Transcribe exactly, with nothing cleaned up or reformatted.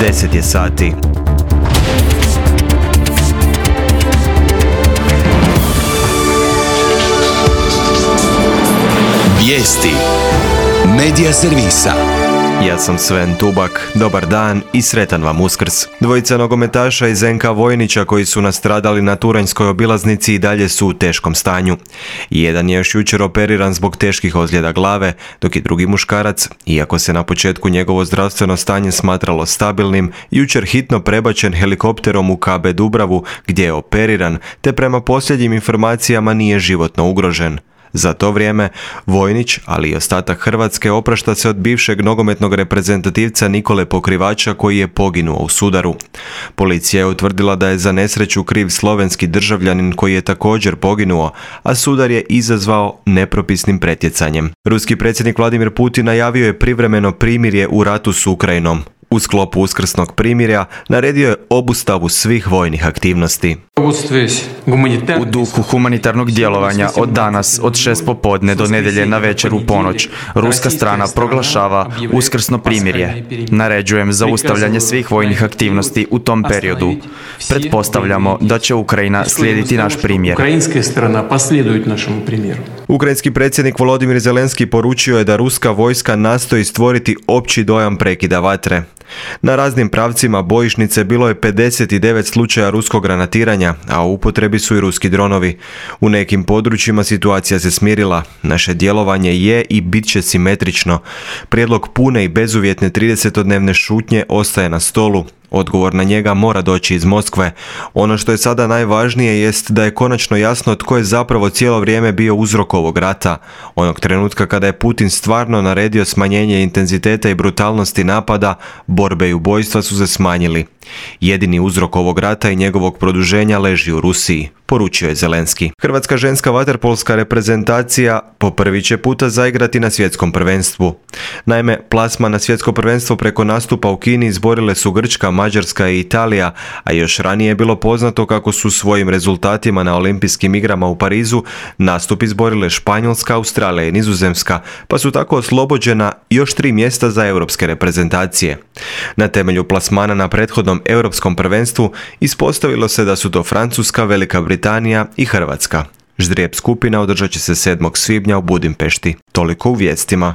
deset je sati. Vijesti Medija servisa. Ja sam Sven Tubak, dobar dan i sretan vam Uskrs. Dvojica nogometaša iz en ka Vojnića koji su nastradali na turanjskoj obilaznici i dalje su u teškom stanju. Jedan je još jučer operiran zbog teških ozljeda glave, dok je drugi muškarac, iako se na početku njegovo zdravstveno stanje smatralo stabilnim, jučer hitno prebačen helikopterom u ka be Dubravu gdje je operiran, te prema posljednjim informacijama nije životno ugrožen. Za to vrijeme Vojnić, ali i ostatak Hrvatske, oprašta se od bivšeg nogometnog reprezentativca Nikole Pokrivača koji je poginuo u sudaru. Policija je utvrdila da je za nesreću kriv slovenski državljanin koji je također poginuo, a sudar je izazvao nepropisnim pretjecanjem. Ruski predsjednik Vladimir Putin najavio je privremeno primirje u ratu s Ukrajinom. U sklopu uskrsnog primirja naredio je obustavu svih vojnih aktivnosti. U duhu humanitarnog djelovanja od danas, od šest popodne do nedjelje na večer u ponoć, ruska strana proglašava uskrsno primirje. Naređujem zaustavljanje svih vojnih aktivnosti u tom periodu. Pretpostavljamo da će Ukrajina slijediti naš primjer. Ukrajinski predsjednik Volodimir Zelenski poručio je da ruska vojska nastoji stvoriti opći dojam prekida vatre. Na raznim pravcima bojišnice bilo je pedeset devet slučaja ruskog granatiranja, a u upotrebi su i ruski dronovi. U nekim područjima situacija se smirila. Naše djelovanje je i bit će simetrično. Prijedlog pune i bezuvjetne tridesetodnevne šutnje ostaje na stolu. Odgovor na njega mora doći iz Moskve. Ono što je sada najvažnije jest da je konačno jasno tko je zapravo cijelo vrijeme bio uzrok ovog rata. Onog trenutka kada je Putin stvarno naredio smanjenje intenziteta i brutalnosti napada, borbe i ubojstva su se smanjili. Jedini uzrok ovog rata i njegovog produženja leži u Rusiji, poručio je Zelenski. Hrvatska ženska vaterpolska reprezentacija po prvi će puta zaigrati na svjetskom prvenstvu. Naime, plasma na svjetsko prvenstvo preko nastupa u Kini izborile su Grčka, Mađarska i Italija, a još ranije je bilo poznato kako su svojim rezultatima na olimpijskim igrama u Parizu nastup izborile Španjolska, Australija i Nizozemska, pa su tako oslobođena još tri mjesta za europske reprezentacije. Na temelju plasmana na prethodnom europskom prvenstvu ispostavilo se da su to Francuska, Velika Britanija i Hrvatska. Ždrijeb skupina održat će se sedmog svibnja u Budimpešti. Toliko u vijestima.